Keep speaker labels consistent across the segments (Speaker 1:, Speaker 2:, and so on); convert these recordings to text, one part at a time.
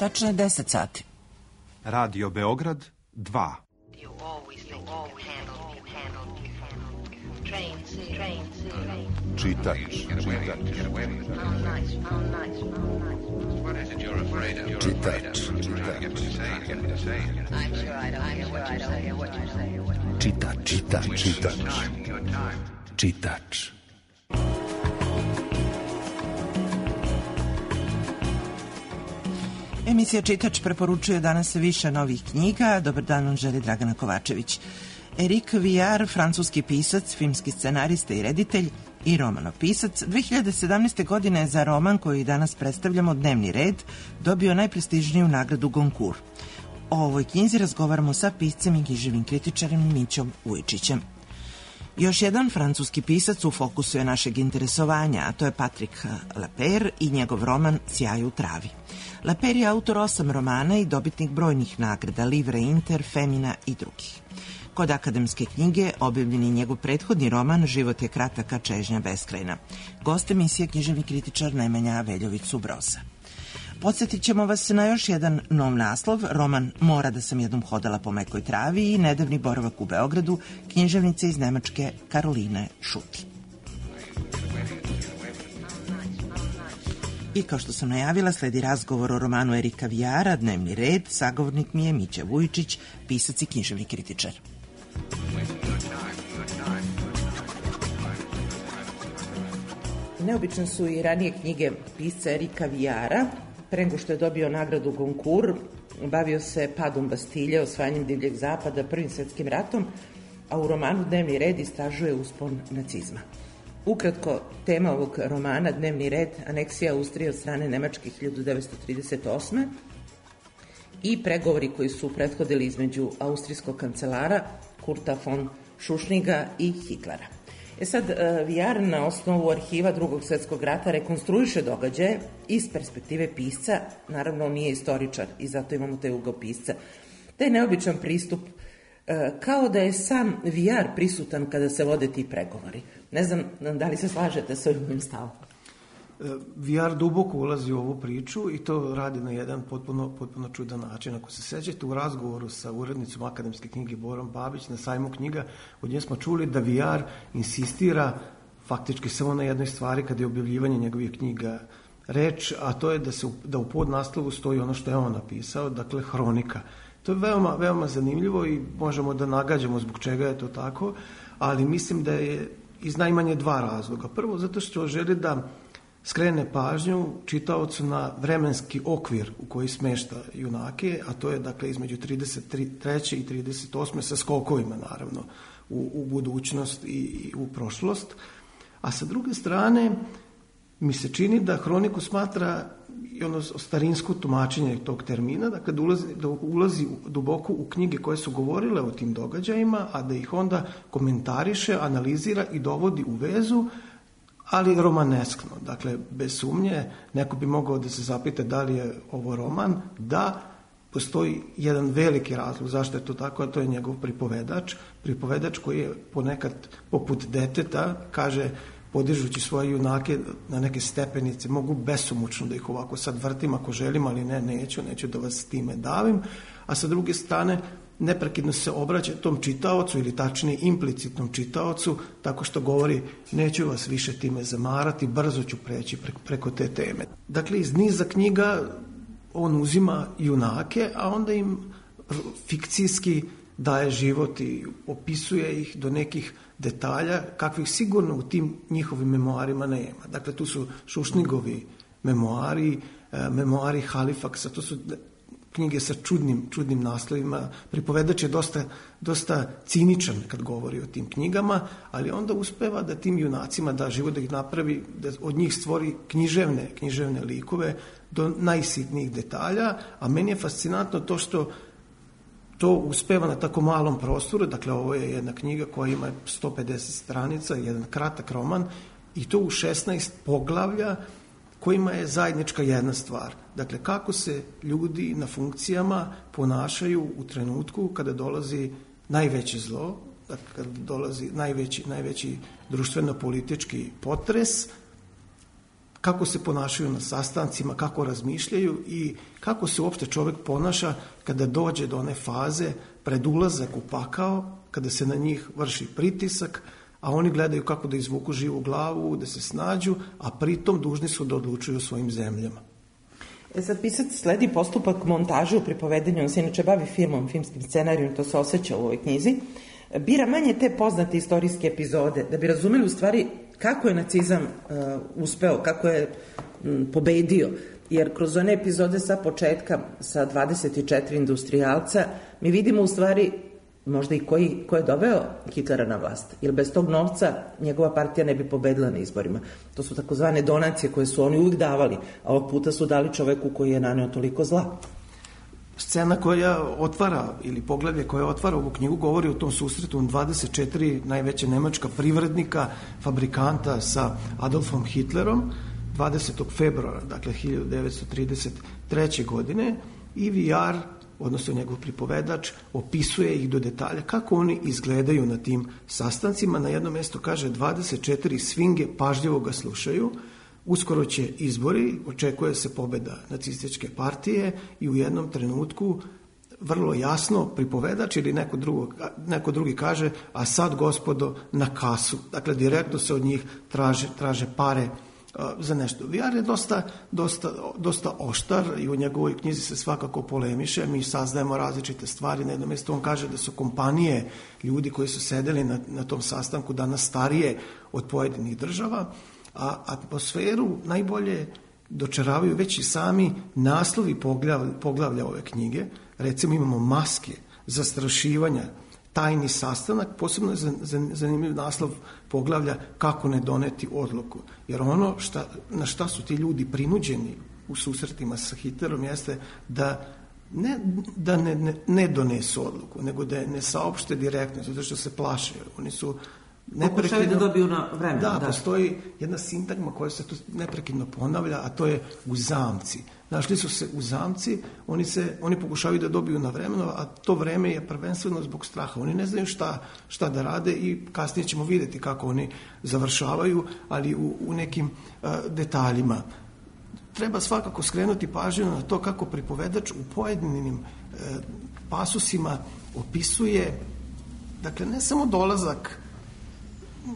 Speaker 1: Tačno je 10 sati.
Speaker 2: Radio Beograd 2. Čitač.
Speaker 1: Emisija Čitač preporučuje danas više novih knjiga. Dobar dan, on želi Dragana Kovačević. Éric Viard, francuski pisac, filmski scenarista i reditelj i romanopisac, 2017. godine za roman koji danas predstavljamo, Dnevni red, dobio najprestižniju nagradu Goncourt. O ovoj knjizi razgovaramo sa piscem i književnim kritičarem Mićom Vujčićem. Još jedan francuski pisac u fokusu je našeg interesovanja, a to je Patrick Lapeyre i njegov roman Sjaj u travi. Lapeyre je autor 8 romana i dobitnik brojnih nagrada, Livre Inter, Femina i drugih. Kod akademske knjige objavljen je njegov prethodni roman Život je kratak, a čežnja beskrajna. Gost emisije književni kritičar Nemanja Veljović-Subroza. Podsjetit ćemo vas na još jedan nov naslov, roman Mora da sam jednom hodala po mekoj travi i nedavni boravak u Beogradu književnice iz Nemačke Karoline Šuti. I kao što sam najavila, sledi razgovor o romanu Érica Viarda, Dnevni red. Sagovornik mi je Mića Vujčić, pisac i književni kritičar. Neobične su i ranije knjige pisca Érica Viarda. Pre nego što je dobio nagradu Goncourt, bavio se padom Bastilje, osvajanjem divljeg zapada, Prvim svetskim ratom, a u romanu Dnevni red istražuje uspon nacizma. Ukratko, tema ovog romana, Dnevni red, aneksija Austrije od strane Nemačke 1938. i pregovori koji su prethodili između austrijskog kancelara Kurta von Schuschniga i Hitlera. Sad, Viard na osnovu arhiva Drugog svjetskog rata rekonstruiše događaje iz perspektive pisca, naravno on nije istoričar i zato imamo taj ugao pisca. Taj neobičan pristup, kao da je sam Viard prisutan kada se vode ti pregovori. Ne znam da li se slažete sa ovim stavom.
Speaker 3: Viard duboko ulazi u ovu priču i to radi na jedan potpuno čudan način. Ako se sećate, u razgovoru sa urednicom akademske knjige Borom Babić na sajmu knjiga, od nje smo čuli da Viard insistira faktički samo na jednoj stvari kada je objavljivanje njegovih knjiga reč, a to je da u podnaslovu stoji ono što je on napisao, dakle hronika. To je veoma zanimljivo i možemo da nagađamo zbog čega je to tako, ali mislim da je iz najmanje 2 razloga. Prvo, zato što želi da skrene pažnju čitaocu na vremenski okvir u koji smešta junake, a to je dakle između 33. i 38. sa skokovima naravno u budućnost i u prošlost. A sa druge strane mi se čini da hroniku smatra i ono starinsko tumačenje tog termina, dakle da ulazi duboko u knjige koje su govorile o tim događajima, a da ih onda komentariše, analizira i dovodi u vezu, ali romaneskno. Dakle, bez sumnje, neko bi mogao da se zapita da li je ovo roman, da postoji jedan veliki razlog zašto je to tako, a to je njegov pripovedač koji je ponekad poput deteta, kaže, podižući svoje junake na neke stepenice, mogu besomučno da ih ovako sad vrtim ako želim, ali neću da vas time davim, a sa druge strane neprekidno se obraća tom čitaocu ili tačnije implicitnom čitaocu tako što govori neću vas više time zamarati, brzo ću preći preko te teme. Dakle, iz niza knjiga on uzima junake, a onda im fikcijski daje život i opisuje ih do nekih detalja kakvih sigurno u tim njihovim memoarima nema. Dakle, tu su Šušnigovi memoari Halifaksa, to su knjige sa čudnim naslovima. Pripovedač je dosta ciničan kad govori o tim knjigama, ali onda uspeva da tim junacima da život, da ih napravi, da od njih stvori književne likove do najsitnijih detalja, a meni je fascinantno to što to uspeva na tako malom prostoru. Dakle, ovo je jedna knjiga koja ima 150 stranica, jedan kratak roman i to u 16 poglavlja kojima je zajednička jedna stvar. Dakle, kako se ljudi na funkcijama ponašaju u trenutku kada dolazi najveće zlo, dakle, kada dolazi najveći društveno-politički potres, kako se ponašaju na sastancima, kako razmišljaju i kako se uopšte čovjek ponaša kada dođe do one faze pred ulazak u pakao, kada se na njih vrši pritisak, a oni gledaju kako da izvuku živu glavu, da se snađu, a pritom dužni su da odlučuju o svojim zemljama.
Speaker 1: Sad pisac sledi postupak montaže u pripovedanju, on se inače bavi filmom, filmskim scenarijom, to se osjeća u ovoj knjizi, bira manje te poznate istorijske epizode, da bi razumeli u stvari kako je nacizam uspeo, kako je pobedio, jer kroz one epizode sa početka, sa 24 industrijalca, mi vidimo u stvari možda i ko je doveo Hitlera na vlast, jer bez tog novca njegova partija ne bi pobedila na izborima. To su takozvane donacije koje su oni uvijek davali, a ovog puta su dali čoveku koji je naneo toliko zla.
Speaker 3: Scena koja otvara, ili poglavlje koje otvara ovu knjigu, govori o tom susretu 24 najveća nemačka privrednika, fabrikanta sa Adolfom Hitlerom, 20. februara, dakle 1933. godine, i VR, odnosno njegov pripovedač, opisuje ih do detalja kako oni izgledaju na tim sastancima. Na jednom mjestu kaže 24 svinge pažljivo ga slušaju, uskoro će izbori, očekuje se pobjeda nacističke partije i u jednom trenutku vrlo jasno pripovedač ili neko drugi kaže, a sad gospodo na kasu. Dakle, direktno se od njih traže pare za nešto. VR je dosta oštar i u njegovoj knjizi se svakako polemiše. Mi saznajemo različite stvari. Na jednom mjestu on kaže da su kompanije ljudi koji su sedeli na tom sastanku danas starije od pojedinih država, a atmosferu najbolje dočaravaju već i sami naslovi poglavlja ove knjige. Recimo imamo maske, zastrašivanja, tajni sastanak, posebno je zanimljiv naslov poglavlja kako ne doneti odluku. Jer ono na šta su ti ljudi prinuđeni u susretima sa Hitlerom jeste da ne donesu odluku, nego da je ne saopšte direktno, zato što se plaše. Oni su
Speaker 1: pokušaju da dobiju na vremena.
Speaker 3: Da, postoji jedna sintagma koja se tu neprekidno ponavlja, a to je u zamci. Našli su se u zamci, oni pokušavaju da dobiju na vremenu, a to vreme je prvenstveno zbog straha. Oni ne znaju šta da rade i kasnije ćemo vidjeti kako oni završavaju, ali u nekim detaljima. Treba svakako skrenuti pažnju na to kako pripovedač u pojedinim pasusima opisuje, dakle, ne samo dolazak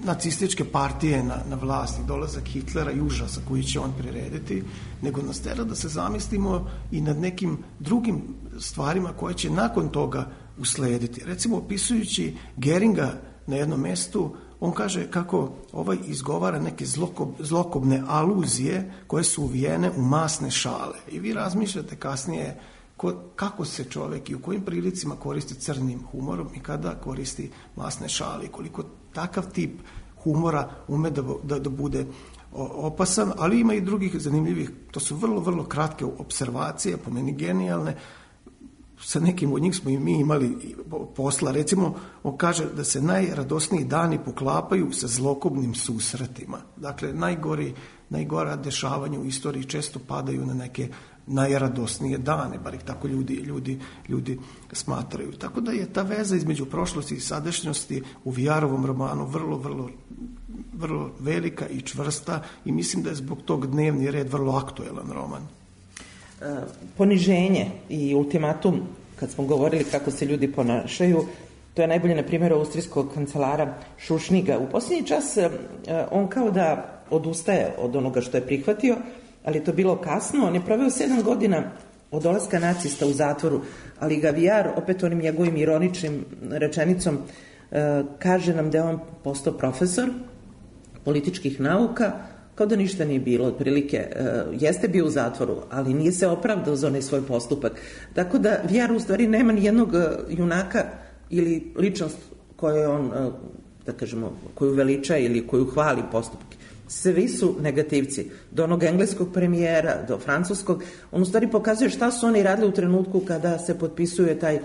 Speaker 3: nacističke partije na vlast i dolazak Hitlera i užasa koji će on prirediti, nego nas tera da se zamislimo i nad nekim drugim stvarima koje će nakon toga uslediti. Recimo, opisujući Geringa na jednom mjestu, on kaže kako izgovara neke zlokobne aluzije koje su uvijene u masne šale. I vi razmišljate kasnije kako se čovjek i u kojim prilicima koristi crnim humorom i kada koristi masne šale i koliko takav tip humora ume da bude opasan, ali ima i drugih zanimljivih, to su vrlo, vrlo kratke observacije, po meni genijalne. Sa nekim od njih smo i mi imali posla. Recimo, on kaže da se najradosniji dani poklapaju sa zlokobnim susretima. Dakle, najgora dešavanja u istoriji često padaju na neke najradosnije dane, bar ih tako ljudi smatraju. Tako da je ta veza između prošlosti i sadašnjosti u VR-ovom romanu vrlo, vrlo, vrlo velika i čvrsta i mislim da je zbog tog dnevni red vrlo aktuelan roman.
Speaker 1: Poniženje i ultimatum, kad smo govorili kako se ljudi ponašaju, to je najbolje na primjer austrijskog kancelara Šušniga. U posljednji čas on kao da odustaje od onoga što je prihvatio, ali je to bilo kasno. On je proveo 7 godina od dolaska nacista u zatvoru, ali ga VR, opet onim njegovim ironičnim rečenicom, kaže nam da je on postao profesor političkih nauka, kao da ništa nije bilo, otprilike jeste bio u zatvoru, ali nije se opravdao za onaj svoj postupak. Tako da VR u stvari nema ni jednog junaka ili ličnost koju on, da kažemo, koju veliča ili koju hvali postupke. Svi su negativci. Do onog engleskog premijera, do francuskog. On u stvari pokazuje šta su oni radili u trenutku kada se potpisuje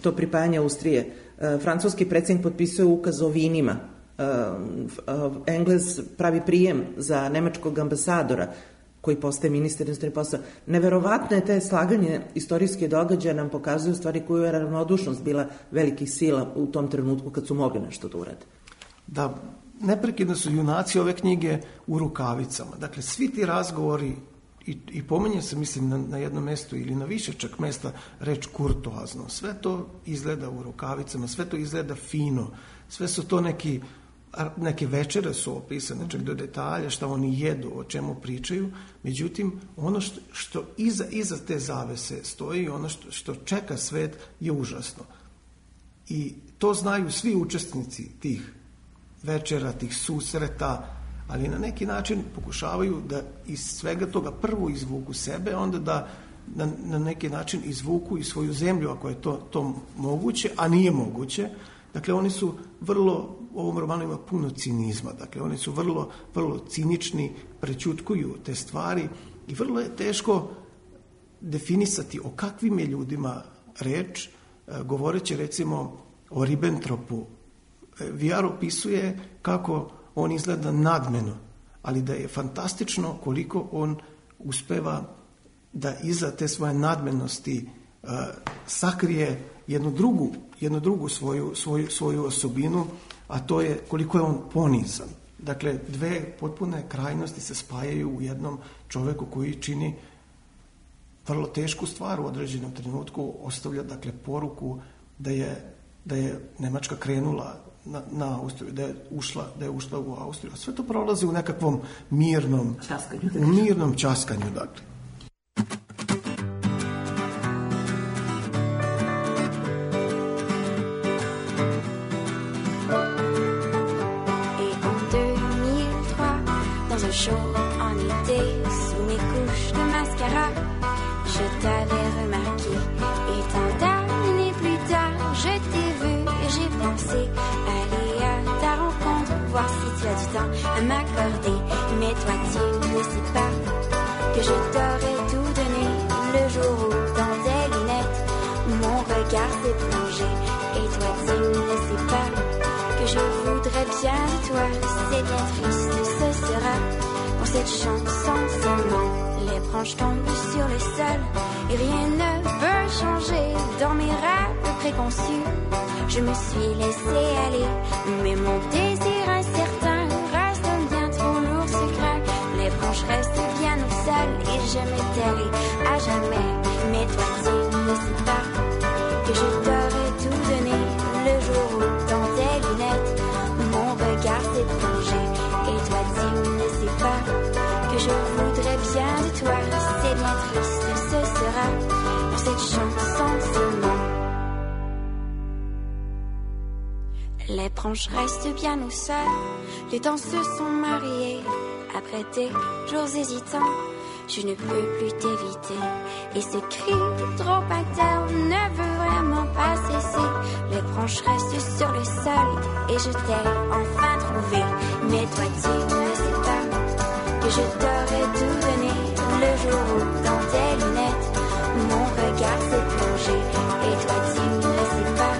Speaker 1: to pripajanje Austrije. Francuski predsjednik potpisuje ukaz o vinima. Englez pravi prijem za nemačkog ambasadora koji postaje ministar inostranih poslova. Neverovatno je te slaganje istorijske događaje nam pokazuju stvari koju je ravnodušnost bila velikih sila u tom trenutku kad su mogli nešto da urade.
Speaker 3: Da, neprekidno su junaci ove knjige u rukavicama. Dakle, svi ti razgovori, i pominje se, mislim, na jednom mjestu ili na više čak mjesta reč kurtoazno. Sve to izgleda u rukavicama, sve to izgleda fino, sve su to neke večere su opisane, čak do detalja, šta oni jedu, o čemu pričaju. Međutim, ono što iza te zavese stoji, ono što čeka svet je užasno. I to znaju svi učesnici tih večera, tih susreta, ali na neki način pokušavaju da iz svega toga prvo izvuku sebe, onda da na neki način izvuku i svoju zemlju, ako je to moguće, a nije moguće. Dakle, oni su vrlo, u ovom romanu ima puno cinizma, dakle, oni su vrlo, vrlo cinični, prećutkuju te stvari i vrlo je teško definisati o kakvim je ljudima reč, govoreći recimo o Ribbentropu. Vijar opisuje kako on izgleda nadmeno, ali da je fantastično koliko on uspeva da iza te svoje nadmenosti sakrije jednu drugu svoju osobinu, a to je koliko je on ponizan. Dakle, dve potpune krajnosti se spajaju u jednom čoveku koji čini vrlo tešku stvar u određenom trenutku, ostavlja dakle poruku da je Nemačka krenula na Austriju, da je ušla u Austriju. Sve to prolazi u nekakvom mirnom časkanju, dakle.
Speaker 4: Chaud en été, sous mes couches de mascara, je t'avais remarqué. Et tant d'années plus tard, je t'ai vu et j'ai pensé aller à ta rencontre, voir si tu as du temps à m'accorder. Mais toi, tu ne sais pas que je t'aurais tout donné le jour où, dans tes lunettes, mon regard s'est plongé. Et toi, tu ne sais pas que je voudrais bien de toi. C'est bien triste, ce sera. Pour cette chanson seulement, les branches tombent sur le sol et rien ne peut changer dans mes rêves préconçus. Je me suis laissé aller, mais mon désir incertain reste bien trop lourd, ce craint. Les branches restent bien au sol et je m'étais à jamais. Mais toi tu ne sais pas que je t'aurais tout donné le jour où dans tes lunettes mon regard s'est plongé. Et toi tu ne sais pas que je voudrais bien de toi. C'est bien triste, ce sera pour cette chanson seulement. Les branches restent bien au sol, les temps se sont mariés. Après des jours hésitants, je ne peux plus t'éviter. Et ce cri trop interne ne veut vraiment pas cesser. Les branches restent sur le sol et je t'ai enfin trouvé. Mais toi tu ne sais pas que je t'aurais tout donné le jour où dans tes lunettes mon regard s'est plongé. Et toi tu ne sais pas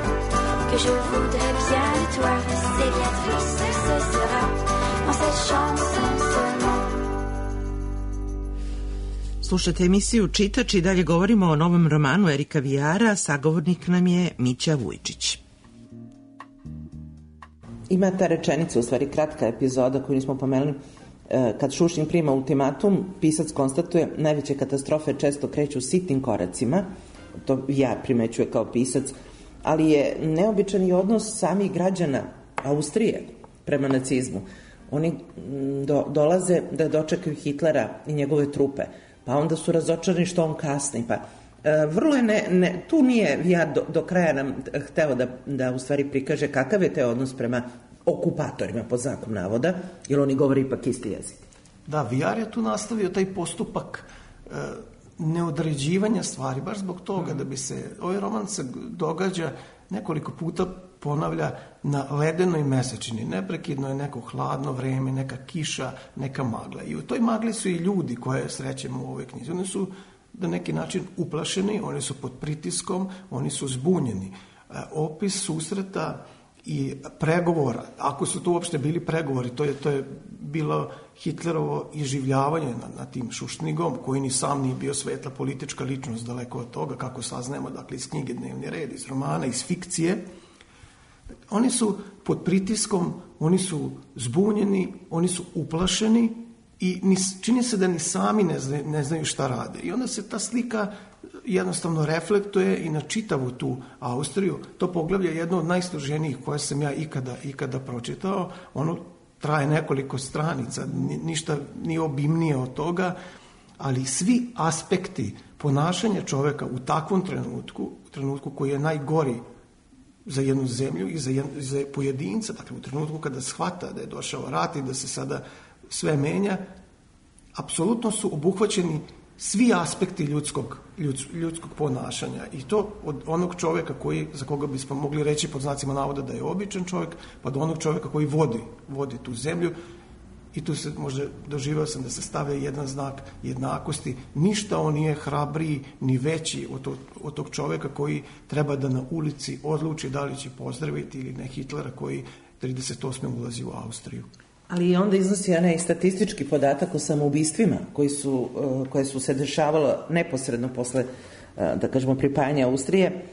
Speaker 4: que je voudrais bien de toi. C'est bien triste, ce sera dans cette chanson seulement.
Speaker 1: Slušate emisiju Čitač i dalje govorimo o novom romanu Erika Vijara, sagovornik nam je Mića Vujčić. Ima ta rečenica, u stvari kratka epizoda koju nismo pomenuli, kad Šušin prima ultimatum, pisac konstatuje najveće katastrofe često kreću sitnim koracima, to ja primećuje kao pisac, ali je neobičan i odnos samih građana Austrije prema nacizmu. Oni dolaze da dočekaju Hitlera i njegove trupe, pa onda su razočarani što on kasni, pa vrlo je tu nije Vijar do kraja nam hteo da u stvari prikaže kakav je te odnos prema okupatorima, pod znakom navoda, jer oni govore ipak isti jezik.
Speaker 3: Da, Vijar je tu nastavio taj postupak neodređivanja stvari, baš zbog toga da bi se, ovaj roman se događa nekoliko puta, ponavlja na ledenoj mesečini. Neprekidno je neko hladno vreme, neka kiša, neka magla. I u toj magli su i ljudi koje srećemo u ovoj knjizi. Oni su na neki način uplašeni, oni su pod pritiskom, oni su zbunjeni. Opis susreta i pregovora, ako su to uopšte bili pregovori, to je bilo Hitlerovo iživljavanje na tim Šušnigom, koji ni sam nije bio svetla politička ličnost, daleko od toga, kako saznajemo, dakle, iz knjige Dnevni red, iz romana, iz fikcije. Oni su pod pritiskom, oni su zbunjeni, oni su uplašeni i čini se da ni sami ne znaju šta rade. I onda se ta slika jednostavno reflektuje i na čitavu tu Austriju. To poglavlje je jedno od najsloženijih koje sam ja ikada pročitao. Ono traje nekoliko stranica, ništa nije obimnije od toga, ali svi aspekti ponašanja čoveka u takvom trenutku koji je najgori za jednu zemlju i za pojedinca, dakle u trenutku kada shvata da je došao rat i da se sada sve menja, apsolutno su obuhvaćeni svi aspekti ljudskog ponašanja i to od onog čovjeka za koga bismo mogli reći pod znacima navoda da je običan čovjek, pa do onog čovjeka koji vodi tu zemlju. I tu se možda doživao sam da se stavlja jedan znak jednakosti. Ništa on nije hrabriji ni veći od tog čovjeka koji treba da na ulici odluči da li će pozdraviti ili ne Hitlera koji 38. ulazi u Austriju.
Speaker 1: Ali onda iznosi onaj statistički podatak o samoubistvima koje su se dešavalo neposredno posle, da kažemo, pripajanja Austrije.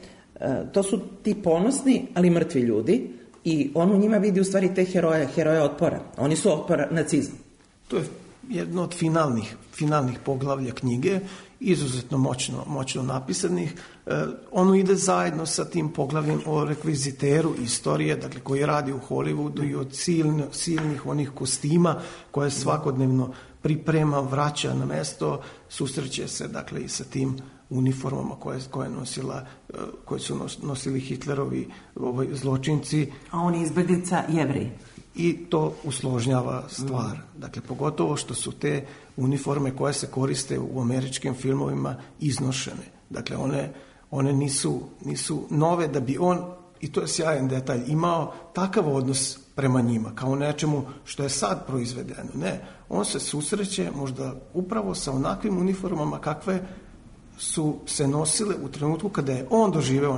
Speaker 1: To su ti ponosni, ali mrtvi ljudi i on u njima vidi u stvari te heroje otpora. Oni su otpor nacizmu.
Speaker 3: To je jedno od finalnih poglavlja knjige, izuzetno moćno napisanih. Ono ide zajedno sa tim poglavljem o rekviziteru istorije, dakle koji radi u Hollywoodu i od silnih onih kostima koje svakodnevno priprema, vraća na mesto, susreće se dakle i sa tim uniformama koje su nosili Hitlerovi zločinci.
Speaker 1: A on je izbeglica Jevrej.
Speaker 3: I to usložnjava stvar. Dakle, pogotovo što su te uniforme koje se koriste u američkim filmovima iznošene. Dakle, one nisu nove da bi on, i to je sjajan detalj, imao takav odnos prema njima, kao nečemu što je sad proizvedeno. Ne, on se susreće možda upravo sa onakvim uniformama kakve su se nosile u trenutku kada je on doživeo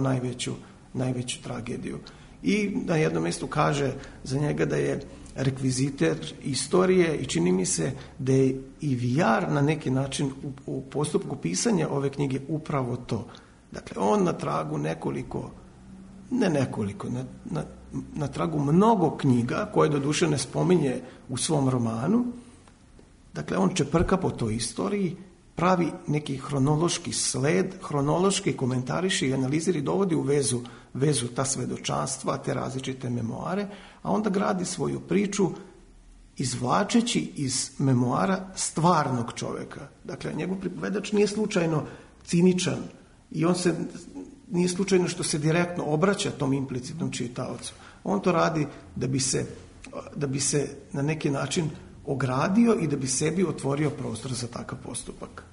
Speaker 3: najveću tragediju. I na jednom mjestu kaže za njega da je rekviziter istorije i čini mi se da je i VR na neki način u postupku pisanja ove knjige upravo to. Dakle, on na tragu na tragu mnogo knjiga koje doduše ne spominje u svom romanu. Dakle, on čeprka po toj istoriji, pravi neki hronološki sled, hronološki komentariši i analiziri, dovodi u vezu ta svedočanstva, te različite memoare, a onda gradi svoju priču izvlačeći iz memoara stvarnog čovjeka. Dakle, njegov pripovedač nije slučajno ciničan i on se nije slučajno što se direktno obraća tom implicitnom čitaocu. On to radi da bi se na neki način ogradio i da bi sebi otvorio prostor za takav postupak.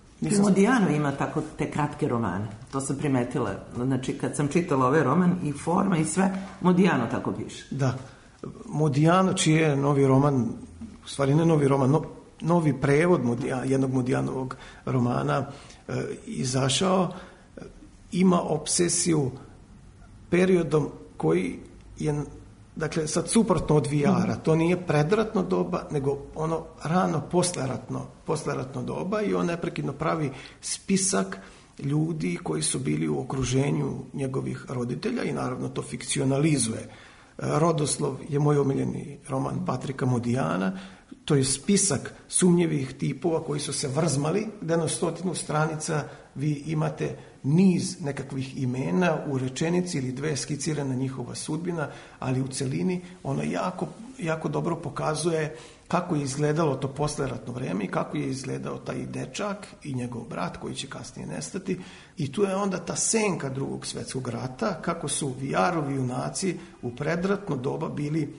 Speaker 1: Modiano ima tako te kratke romane. To sam primetila. Znači, kad sam čitala ovaj roman i forma i sve, Modiano tako piše.
Speaker 3: Da. Modiano, čiji je novi roman, u stvari ne novi roman, novi prevod jednog Modianovog romana izašao, ima obsesiju periodom koji je, dakle, sad suprotno od VR-a. To nije predratno doba, nego ono rano posleratno doba i on neprekidno pravi spisak ljudi koji su bili u okruženju njegovih roditelja i naravno to fikcionalizuje. Rodoslov je moj omiljeni roman Patrika Modiana. To je spisak sumnjivih tipova koji su se vrzmali, gde na 100 stranica vi imate niz nekakvih imena u rečenici ili dve skicirana njihova sudbina, ali u celini ono jako dobro pokazuje kako je izgledalo to posleratno vreme i kako je izgledao taj dečak i njegov brat koji će kasnije nestati. I tu je onda ta senka Drugog svjetskog rata, kako su VR-ovi junaci u predratno doba bili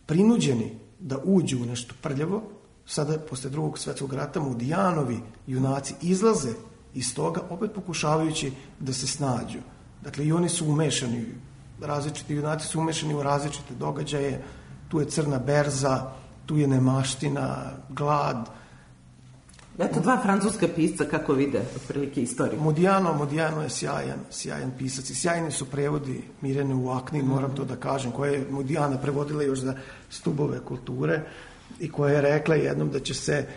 Speaker 3: prinuđeni da uđu u nešto prljavo. Sada, posle Drugog svjetskog rata, Modijanovi junaci izlaze iz toga, opet pokušavajući da se snađu. Dakle, i oni su umešani, različiti junaci su umešani u različite događaje. Tu je crna berza, tu je nemaština, glad.
Speaker 1: Eto dva francuska pisca kako vide otprilike istoriju.
Speaker 3: Modiano je sjajan pisac i sjajni su prevodi Mirjane Uaknin, moram to da kažem, koja je Modijana prevodila još za Stubove kulture i koja je rekla jednom da će se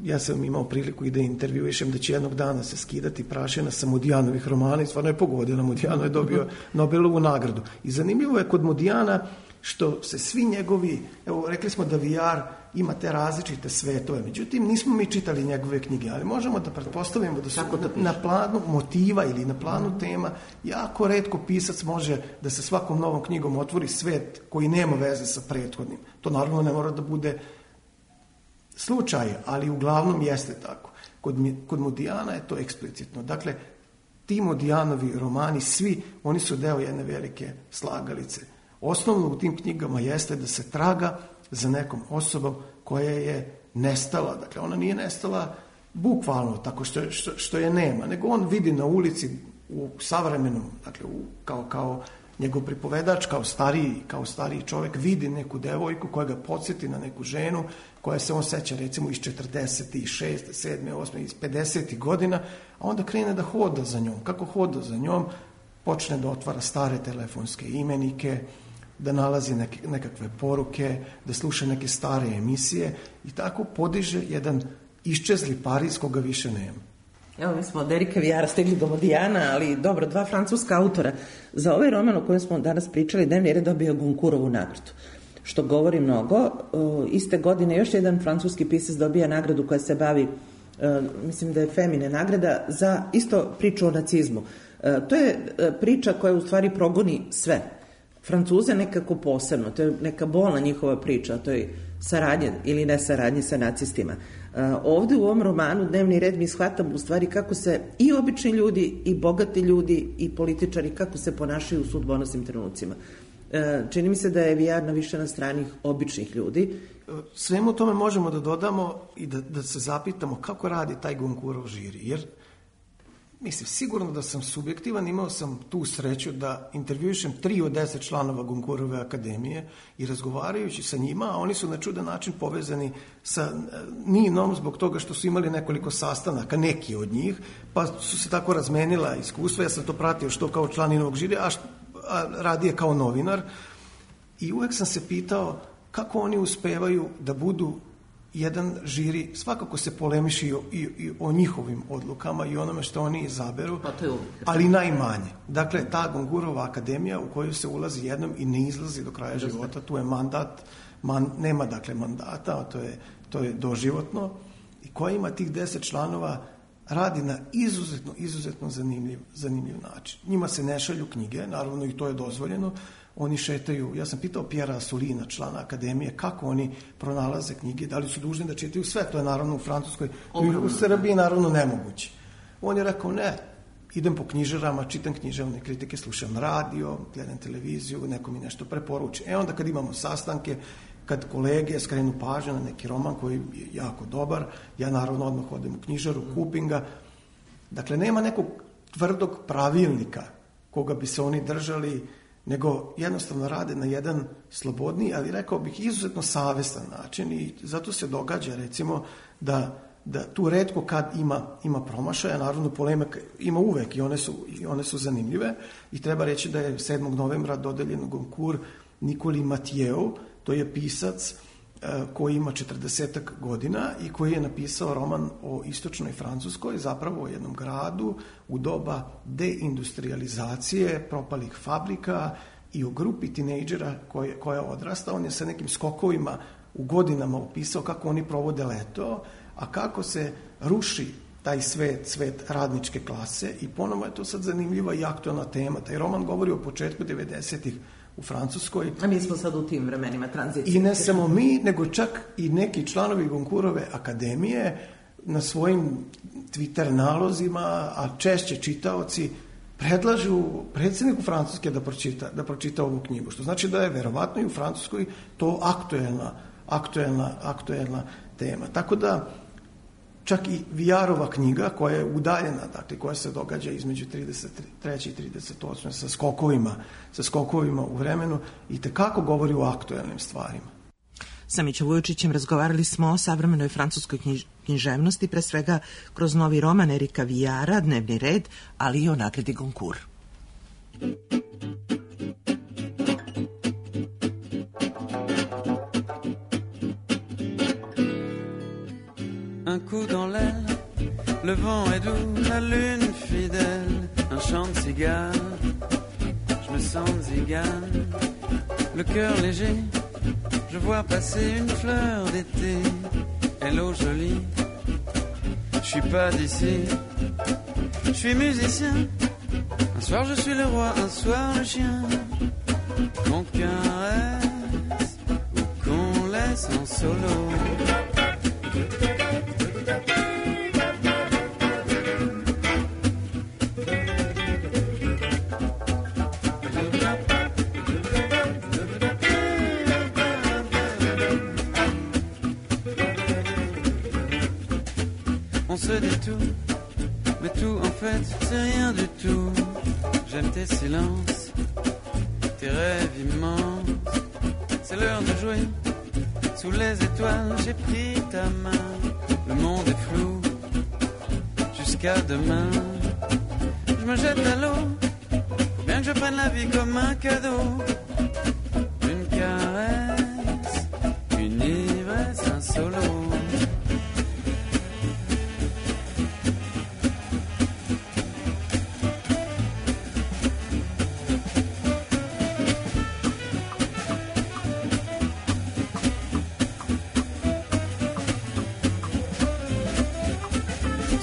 Speaker 3: ja sam imao priliku i da intervjuišem da će jednog dana se skidati prašina sa Modijanovih romana i stvarno je pogodila. Modijano je dobio Nobelovu nagradu. I zanimljivo je kod Modijana što se svi njegovi, evo rekli smo da VR ima te različite svetove, međutim nismo mi čitali njegove knjige, ali možemo da pretpostavimo da su na planu motiva ili na planu tema jako retko pisac može da se svakom novom knjigom otvori svet koji nema veze sa prethodnim. To naravno ne mora da bude slučaj, ali uglavnom jeste tako. Kod Modijana je to eksplicitno. Dakle, ti Modijanovi romani, svi, oni su deo jedne velike slagalice. Osnovno u tim knjigama jeste da se traga za nekom osobom koja je nestala. Dakle, ona nije nestala bukvalno tako što je nema, nego on vidi na ulici u savremenom, dakle, kao njegov pripovedač, kao stariji čovjek, vidi neku devojku koja ga podsjeti na neku ženu koja se on seća recimo iz 46. 7. 8. iz 50. godina, a onda krene da hoda za njom. Kako hoda za njom? Počne da otvara stare telefonske imenike, da nalazi nekakve poruke, da sluša neke stare emisije i tako podiže jedan iščezli Pariz koga više nema.
Speaker 1: Evo, mi smo od Erika Vijara stigli do Modijana, ali dobro, 2 francuska autora. Za ovaj roman o kojem smo danas pričali, Dnevni red dobio Goncourtovu nagradu, što govori mnogo. Iste godine još jedan francuski pisac dobija nagradu koja se bavi, mislim da je Femine nagrada, za isto priču o nacizmu. To je priča koja u stvari progoni sve. Francuze nekako posebno, to je neka bolna njihova priča, to je saradnje ili ne saradnje sa nacistima. Ovde u ovom romanu Dnevni red mi shvatamo u stvari kako se i obični ljudi i bogati ljudi i političari kako se ponašaju u sudbonosnim trenucima. Čini mi se da je VR više na strani običnih ljudi.
Speaker 3: Svemu tome možemo da dodamo i da se zapitamo kako radi taj Goncourtov žiri, jer mislim, sigurno da sam subjektivan, imao sam tu sreću da intervjuišem 3 od 10 članova Goncourtove akademije i razgovarajući sa njima, a oni su na čudan način povezani sa Ninom zbog toga što su imali nekoliko sastanaka, neki od njih, pa su se tako razmenila iskustva. Ja sam to pratio što kao član Ninovog žirija, a radije kao novinar, i uvek sam se pitao kako oni uspevaju da budu jedan žiri, svakako se polemiši i o njihovim odlukama i onome što oni izaberu, ali najmanje. Dakle, ta Goncourtova akademija u koju se ulazi jednom i ne izlazi do kraja života, tu je mandat, nema dakle mandata, to je doživotno, i koja ima tih 10 članova, radi na izuzetno zanimljiv način. Njima se ne šalju knjige, naravno i to je dozvoljeno. Oni šetaju, ja sam pitao Pjera Asulina, člana akademije, kako oni pronalaze knjige, da li su dužni da čitaju sve, to je naravno u Francuskoj, u Srbiji naravno nemoguće. On je rekao, ne, idem po knjižarama, čitam književne kritike, slušam radio, gledam televiziju, neko mi nešto preporuči. Onda kad imamo sastanke, kad kolege skrenu pažnju na neki roman koji je jako dobar, ja naravno odmah odem u knjižaru, kupim ga. Dakle, nema nekog tvrdog pravilnika koga bi se oni držali, nego jednostavno rade na jedan slobodniji, ali rekao bih izuzetno savestan način, i zato se događa recimo da tu retko kad ima promašaja. Naravno polemika ima uvek i one su zanimljive, i treba reći da je 7. novembra dodeljen Goncourt Nikoli Matijeu, to je pisac koji ima 40 godina i koji je napisao roman o istočnoj Francuskoj, zapravo o jednom gradu u doba deindustrializacije, propalih fabrika, i o grupi tinejdžera koja odrasta. On je sa nekim skokovima u godinama opisao kako oni provode leto, a kako se ruši taj svet radničke klase, i ponovo je to sad zanimljiva i aktualna tema. Taj roman govori o početku 90-ih u Francuskoj.
Speaker 1: A mi smo sad u tim vremenima tranzicije.
Speaker 3: I ne samo mi, nego čak i neki članovi Goncourtove akademije na svojim Twitter nalozima, a češće čitaoci, predlažu predsjedniku Francuske da pročita ovu knjigu, što znači da je verovatno i u Francuskoj to aktuelna tema. Tako da čak i VR-ova knjiga, koja je udaljena, dakle koja se događa između 33. i 38. sa skokovima u vremenu, i tekako govori o aktuelnim stvarima.
Speaker 1: Sa Mićom Vujočićem razgovarali smo o savremenoj francuskoj književnosti, pre svega kroz novi roman Erika Vijara, Dnevni red, ali i o nagradi Goncourt.
Speaker 5: Un coups dans l'aile. Le vent est doux, la lune fidèle, un chant de cigare. Je me sens zigane, le cœur léger. Je vois passer une fleur d'été. Hello jolie, je suis pas d'ici. Je suis musicien. Un soir je suis le roi, un soir le chien. Qu'on caresse ou qu'on laisse en solo. On se dit tout, mais tout en fait c'est rien du tout. J'aime tes silences, tes rêves immenses. C'est l'heure de jouer, sous les étoiles j'ai pris ta main. Le monde est flou, jusqu'à demain. Je me jette à l'eau, faut bien que je prenne la vie comme un cadeau. Une caresse, une ivresse, un solo.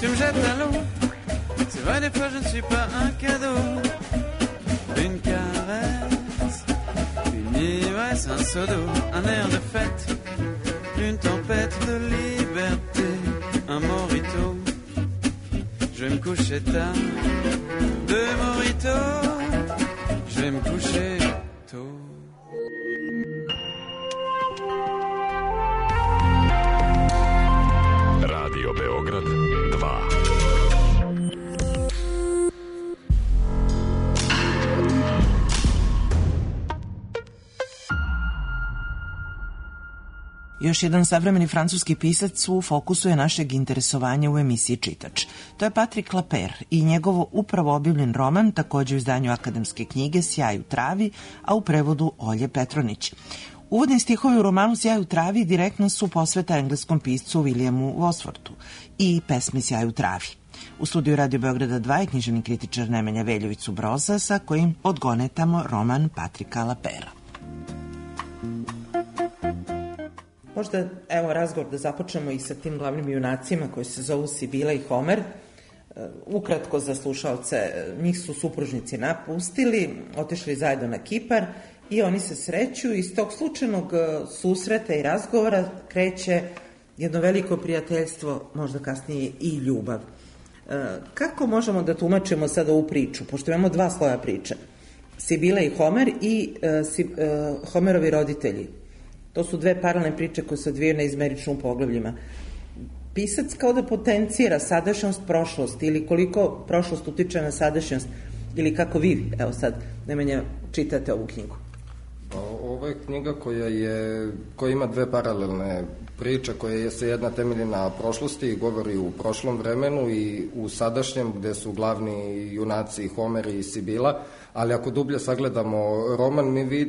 Speaker 5: Tu me jettes à l'eau, c'est vrai des fois je ne suis pas un cadeau. Une caresse, une ivresse, un seau d'eau, un air de fête, une tempête de liberté, un morito. Je vais me coucher tard, deux moritos, je vais me coucher tôt.
Speaker 6: Radio Beograd 2.
Speaker 1: Još jedan savremeni francuski pisac u fokusu je našeg interesovanja u emisiji Čitač. To je Patrick Lapeyre i njegovo upravo objavljen roman, takođe u izdanju akademske knjige Sjaj u travi, a u prevodu Olje Petronić. Uvodni stihovi u romanu Sjaj u travi direktno su posveta engleskom piscu Williamu Wordsworthu i pesmi Sjaj u travi. U studiju Radio Beograda 2 je književni kritičar Nemanja Veljović-Broza sa kojim odgonetamo roman Patricka Lapeyrea. Možda, evo, razgovor da započnemo i sa tim glavnim junacima koji se zovu Sibila i Homer. Ukratko za slušalce, njih su supružnici napustili, otišli zajedno na Kipar i oni se sreću i iz tog slučajnog susreta i razgovora kreće jedno veliko prijateljstvo, možda kasnije i ljubav. Kako možemo da tumačimo sad ovu priču, pošto imamo dva sloja priče, Sibila i Homer i Homerovi roditelji. To su dve paralelne priče koje se odvijaju na izmeričnim poglavljima. Pisac kao da potencira sadašnjost, prošlost ili koliko prošlost utiče na sadašnjost ili kako vi, evo sad, Nemanja, čitate ovu knjigu.
Speaker 7: Ovo je knjiga koja ima dve paralelne priče, koja se jedna temelji na prošlosti i govori u prošlom vremenu i u sadašnjem, gde su glavni junaci Homer i Sibila, ali ako dublje sagledamo roman,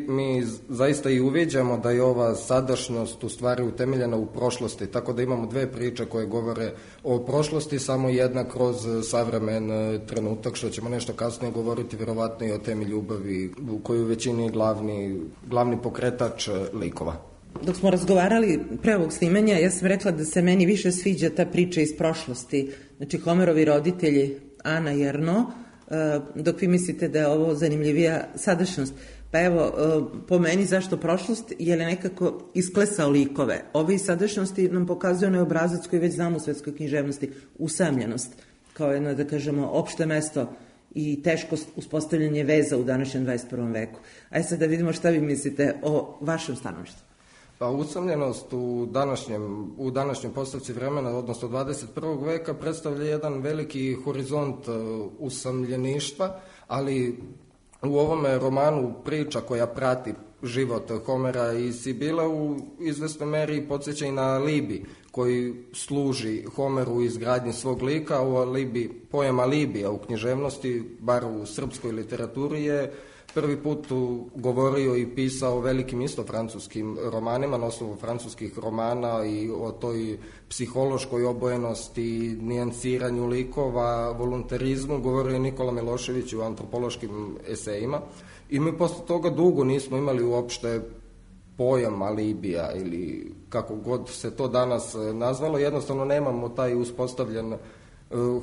Speaker 7: mi zaista i uviđamo da je ova sadašnjost u stvari utemeljena u prošlosti, tako da imamo dve priče koje govore o prošlosti, samo jedna kroz savremen trenutak, što ćemo nešto kasnije govoriti, verovatno i o temi ljubavi, u kojoj u većini je glavni pokretač likova.
Speaker 1: Dok smo razgovarali pre ovog snimanja, ja sam rekla da se meni više sviđa ta priča iz prošlosti. Znači, Homerovi roditelji, Ana i Arno, dok vi mislite da je ovo zanimljivija sadašnjost. Pa evo, po meni zašto prošlost, jer je nekako isklesao likove. Ove iz sadašnjosti nam pokazuje onaj obrazac koji već znamo u svetskoj književnosti, usamljenost, kao jedno, da kažemo, opšte mesto i teško uspostavljanje veza u današnjem 21. veku. Ajde sad da vidimo šta vi mislite o vašem stanovištu.
Speaker 7: Pa usamljenost u današnjoj postavci vremena, odnosno 21. veka, predstavlja jedan veliki horizont usamljeništva, ali u ovome romanu priča koja prati život Homera i Sibila u izvesnoj meri podsjeća i na Libi, koji služi Homeru u izgradnji svog lika. Pojam alibija u književnosti, bar u srpskoj literaturi, je prvi put govorio i pisao velikim isto francuskim romanima, na osnovu francuskih romana i o toj psihološkoj obojenosti, nijansiranju likova, voluntarizmu, govorio je Nikola Milošević u antropološkim esejima. I mi posle toga dugo nismo imali uopšte pojam alibija ili kako god se to danas nazvalo, jednostavno nemamo taj uspostavljen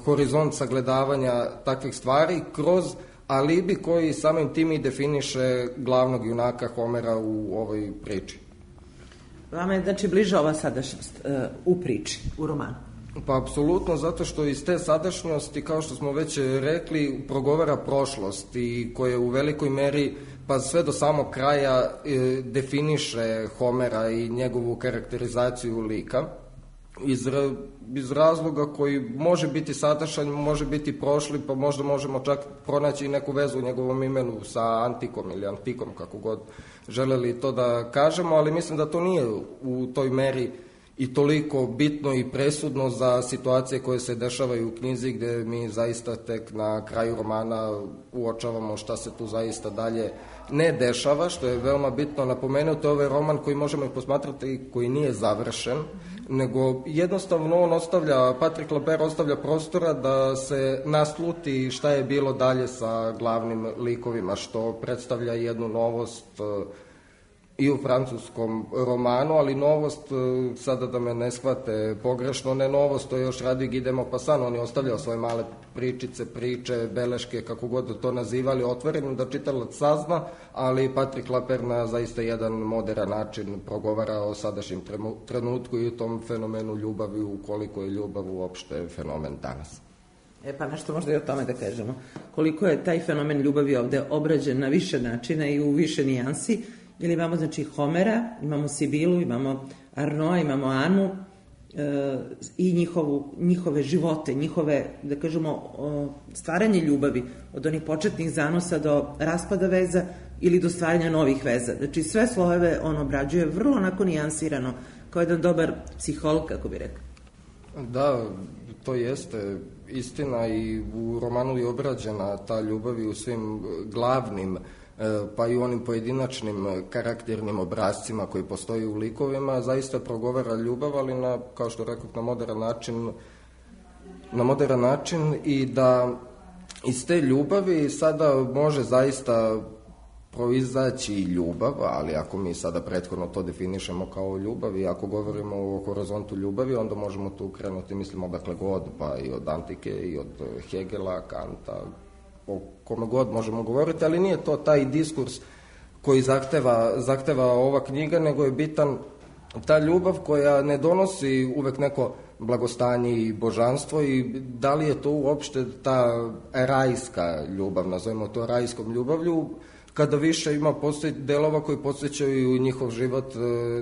Speaker 7: horizont sagledavanja takvih stvari kroz alibi koji samim tim i definiše glavnog junaka Homera u ovoj priči.
Speaker 1: Vama je znači bliža ova sadašnjost u priči, u romanu?
Speaker 7: Pa apsolutno, zato što iz te sadašnjosti, kao što smo već rekli, progovara prošlost i koja u velikoj meri, pa sve do samog kraja, definiše Homera i njegovu karakterizaciju lika iz razloga koji može biti sadašnji, može biti prošli, pa možda možemo čak pronaći neku vezu u njegovom imenu sa Antikom ili Antikom, kako god želeli to da kažemo, ali mislim da to nije u toj meri i toliko bitno i presudno za situacije koje se dešavaju u knjizi, gde mi zaista tek na kraju romana uočavamo šta se tu zaista dalje ne dešava, što je veoma bitno napomenuti. Ovo je roman koji možemo i posmatrati koji nije završen, nego jednostavno on Patrick Lapeyre ostavlja prostora da se nasluti šta je bilo dalje sa glavnim likovima, što predstavlja jednu novost i u francuskom romanu, ali novost, sada da me ne shvate pogrešno, ne novost, to je još radi Guy de Maupassant, on je ostavljao svoje male pričice, priče, beleške, kako god to nazivali, otvorenim da čitalac sazna, ali Patrick Lapeyre na zaista jedan moderan način progovara o sadašnjem trenutku i u tom fenomenu ljubavi, ukoliko je ljubav uopšte fenomen danas.
Speaker 1: Pa nešto možda i o tome da kažemo. Koliko je taj fenomen ljubavi ovde obrađen na više načina i u više nijansi, jer imamo znači Homera, imamo Sibilu, imamo Arnoa, imamo Anu i njihove živote, njihove, da kažemo, stvaranje ljubavi, od onih početnih zanosa do raspada veza ili do stvaranja novih veza. Znači sve slojeve on obrađuje vrlo onako nijansirano, kao jedan dobar psiholog, kako bi rekao.
Speaker 7: Da, to jeste istina i u romanu je obrađena ta ljubav i u svim glavnim pa i u onim pojedinačnim karakternim obrazcima koji postoji u likovima, zaista progovara ljubav, ali kao što rekao, na moderan način i da iz te ljubavi sada može zaista proizaći i ljubav, ali ako mi sada prethodno to definišemo kao ljubav i ako govorimo o horizontu ljubavi, onda možemo tu krenuti, mislim, odakle god, pa i od Antike i od Hegela, Kanta, o kome god možemo govoriti, ali nije to taj diskurs koji zahteva ova knjiga, nego je bitan ta ljubav koja ne donosi uvek neko blagostanje i božanstvo i da li je to uopšte ta rajska ljubav, nazovimo to rajskom ljubavlju, kada više postoji delova koji podsjećaju njihov život